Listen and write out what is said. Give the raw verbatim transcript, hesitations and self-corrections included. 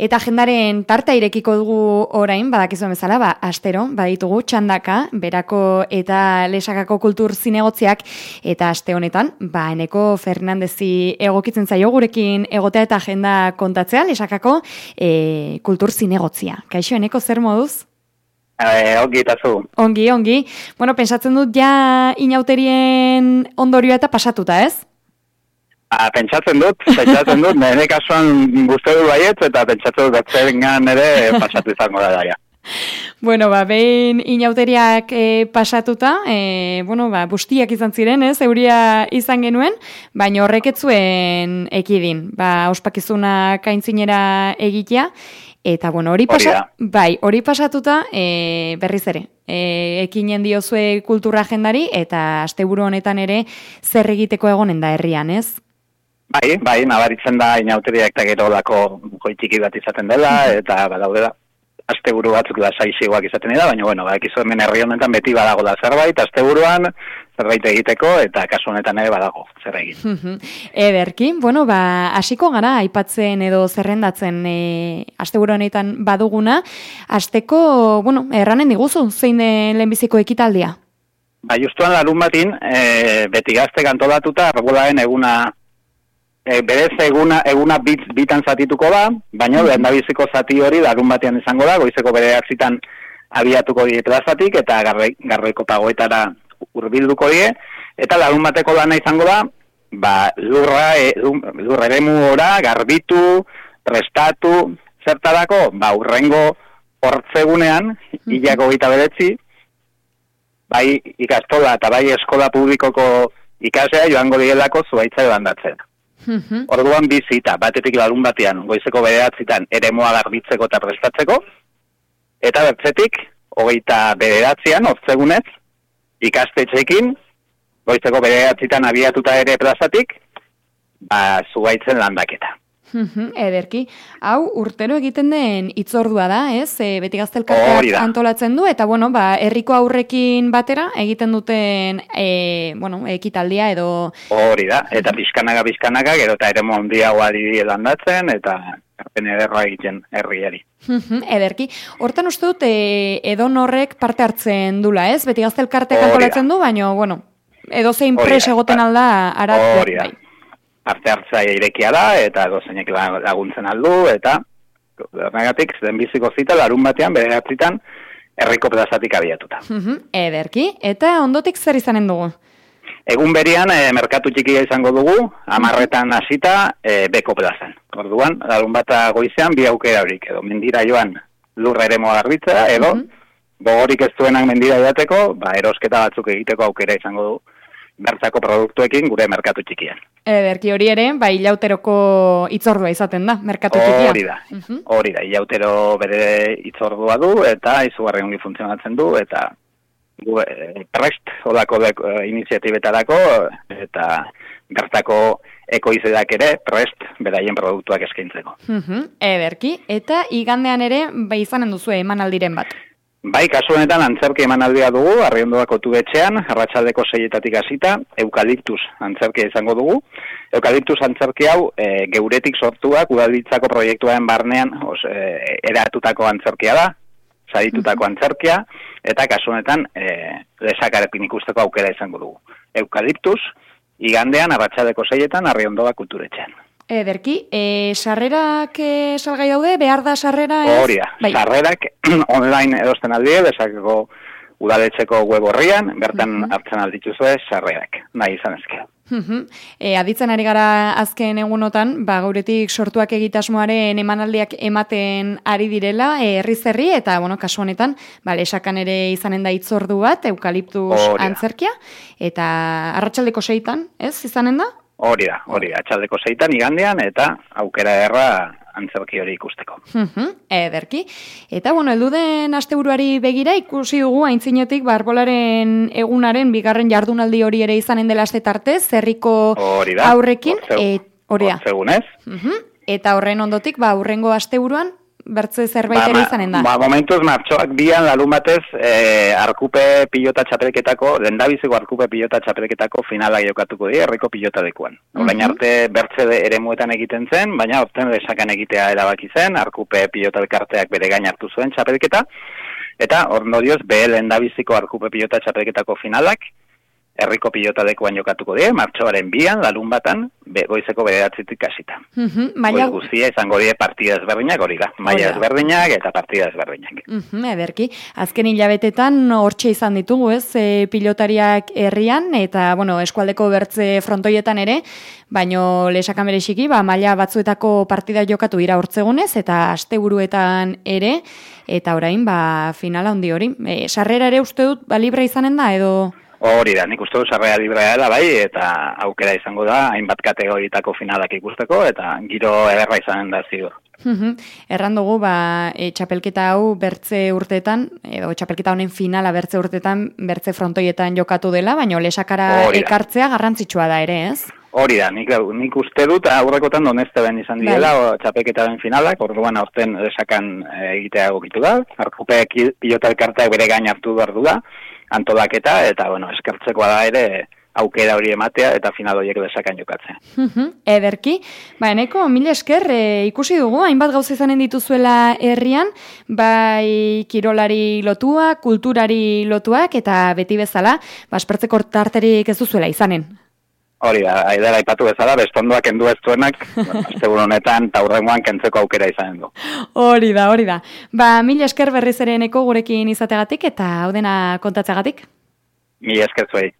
Eta agendaren tarta irekiko dugu orain, badakizuen bezala, ba, astero, baditugu txandaka, berako eta lesakako kultur zinegotziak, eta aste honetan, ba, Eneko Fernandezi egokitzen zaio gurekin egotea eta agenda kontatzea, lesakako e, kultur zinegotzia. Kaixo, Eneko, zer moduz? E, ongi eta zu. Ongi, ongi. Bueno, pensatzen dut ja inauterien ondorioa eta pasatuta, ez? A, pentsatzen dut, pentsatzen dut, nire kasuan guzti du baiet, eta pentsatzen dut batzerengan ere pasatu izango da daia. Bueno, ba, behin inauteriak e, pasatuta, e, bueno, ba, bustiak izan ziren, ez, euria izan genuen, baina horrek ez zuen ekidin, ba, ospakizuna kaintzinera egitea, eta, bueno, hori pasa, bai, hori pasatuta, e, berriz ere, e, ekinen diozue kultura agendari, eta asteburu honetan ere zer egiteko egonen da herrian, ez? Bai, bai, nabaritzen da inauteriak eta gero lako goitiki bat izaten dela, eta badaude da, asteburu batzuk da saizioak izaten dira, baina, bueno, badakizu hemen herri honetan beti badago da zerbait, asteburuan zerbait egiteko, eta kasu honetan ere badago zer egin. Ederki, bueno, ba, hasiko gara aipatzen edo zerrendatzen e, asteburu honetan baduguna, asteko, bueno, erranen diguzu, zein den lehenbiziko ekitaldia? Ba, justuan larun batin, e, beti gazte antolatuta, Arbolaen eguna E, berez eguna, eguna bit, bitan zatituko da, baina lehendabiziko zati hori larun batean izango da, goizeko bederatzitan abiatuko die plazatik eta garre, garroiko pagoetara hurbilduko die, eta larun bateko lana izango da, ba, lurra, e, lurra eremu ora, garbitu, prestatu, zertarako, ba, urrengo hortzegunean, hilako gita beretzi, bai ikastola eta bai eskola publikoko ikasea joango dielako zuaitza bandatzen. Uhum. Orduan bizita, batetik larun batean, goizeko bederatzitan eremoa garbitzeko eta prestatzeko, eta bertzetik, hogeita bederatzean, ortzegunez, ikastetxekin, goizeko bederatzitan abiatuta ere plazatik, ba, zuaitzen landaketa. Ederki. Hau, urtero egiten den itzordua da, ez? E, beti gaztelkarteak antolatzen du, eta, bueno, ba, herriko aurrekin batera egiten duten, e, bueno, ekitaldia edo... Hori da, eta pixkanaga, pixkanaga, gero eta ere mondiagoa diri landatzen, eta erpen ederra egiten herriari. Ederki. Hortan uste dut, e, edon horrek parte hartzen dula, ez? Beti gaztelkarteak antolatzen du, baina, bueno, edo zein pres egoten alda, arat... Hori da. Arte hartzaia irekia da, eta gozainek laguntzen aldu, eta negatik, denbiziko zita, larun batean, bederatzitan, herriko plazatik abiatuta. Ederki, eta ondotik zer izanen dugu? Egun berian, e, merkatu txikia izango dugu, amarretan hasita e, beko plazan. Orduan, larun bata goizean, bi aukera horik, edo mendira joan lurra ere moa garbitzea, edo, gogorik ez duenak mendira joateko, ba, erosketa batzuk egiteko aukera izango dugu. Bertzako produktuekin gure merkatu txikian. Ederki hori ere, bai ilauteroko itzordua izaten da, merkatu txikia. Hori da, hori da, ilautero bere itzordua du, eta izugarri ongi funtzionatzen du, eta gu, e, prest, odako e, iniziatibetarako, eta bertako ekoizedak ere, prest, beraien produktuak eskaintzeko. Ederki, eta igandean ere, bai izanen duzu emanaldiren bat. Bai, kasu honetan antzerki emanaldia dugu, Arriondoako tubetxean, arratsaldeko seietatik hasita, eukaliptus antzerkia izango dugu. Eukaliptus antzerki hau, e, geuretik sortuak, udalditzako proiektuaren barnean, os, e, eratutako antzerkia da, saritutako antzerkia, eta kasu honetan, e, lesakarekin ikusteko aukera izango dugu. Eukaliptus, igandean, arratsaldeko seietan, Arriondoa kulturetxean. Ederki, e, sarrerak e, salgai daude, behar da sarrera ez? Hori da, bai. Sarrerak online erosten aldie, bezakeko udaletxeko web horrian, bertan uh-huh. hartzen aldituzue sarrerak, nahi izan ezke. Uh-huh. E, aditzen ari gara azken egunotan, ba, gauretik sortuak egitasmoaren emanaldiak ematen ari direla, herriz herri, eta, bueno, kasu honetan, ba, lesakan ere izanen da itzordu bat, eukaliptus antzerkia, eta arratsaldeko seitan, ez, izanen da? Hori da, hori da, atxaldeko seitan igandean, eta aukera erra antzerki hori ikusteko. Ederki. Eta, bueno, elduden asteburuari begira ikusi dugu aintzinetik barbolaren egunaren bigarren jardunaldi hori ere izanen dela astetartez, herriko aurrekin. Hori da, hortzegunez. Eta horren ondotik, ba, aurrengo asteburuan, bertze zerbait ere ba, izanen da? Ba, momentuz, martxoak bian larun batez, eh, arkupe pilota txapelketako, lendabiziko arkupe pilota txapelketako finala jokatuko dira, herriko pilota dekuan. Orain Mhm. arte bertze eremuetan egiten zen, baina orten lesakan egitea erabaki zen, arkupe pilota elkarteak bere gain hartu zuen txapelketa, eta ondorioz, be lendabiziko arkupe pilota txapelketako finalak, herriko pilota dekuan jokatuko dira, martxoaren bian, larun batan, be, goizeko bederatzitik hasita. Mhm, maila... Goiz guztia izango dira partida ezberdinak, hori da. Maila ezberdinak eta partida ezberdinak. Mhm, ederki. Azken hilabetetan hortxe izan ditugu, ez, e, pilotariak herrian, eta, bueno, eskualdeko bertze frontoietan ere, baino lesakan bereziki, ba, maila batzuetako partida jokatu dira hortzegunez, eta asteburuetan ere, eta orain, ba, finala handi hori. E, sarrera ere uste dut, ba, libre izanen da, edo... Hori da, nik uste du sarrera librea dela bai, eta aukera izango da, hainbat kategoritako finalak ikusteko, eta giro ederra izanen da ziur. Mhm. Erran dugu, ba, e, txapelketa hau bertze urtetan, edo txapelketa honen finala bertze urtetan, bertze frontoietan jokatu dela, baina lesakara ekartzea garrantzitsua da ere, ez? Hori da, nik, nik uste dut aurrekotan donezte ben izan direla, bai. Txapelketaren finalak, orduan aurten lesakan egitea egokitu da, arkupe pilota elkarteak bere gain hartu behar du da, antolaketa, eta, bueno, eskertzekoa da ere aukera hori ematea, eta final horiek lesakan jokatzea. Ederki, ba, eneko, mil esker, e, ikusi dugu, hainbat gauza izanen dituzuela herrian, bai kirolari lotua, kulturari lotuak, eta beti bezala, ba, espertzeko tarterik ez duzuela izanen. Hori da, aidera aipatu bezala, bestondoak kendu ez duenak, bueno, asteburu honetan, taurrengoan kentzeko aukera izanen du. Hori da, hori da. Ba, mil esker berriz ere eneko gurekin izategatik, eta hau dena kontatzegatik. Mil esker zuei.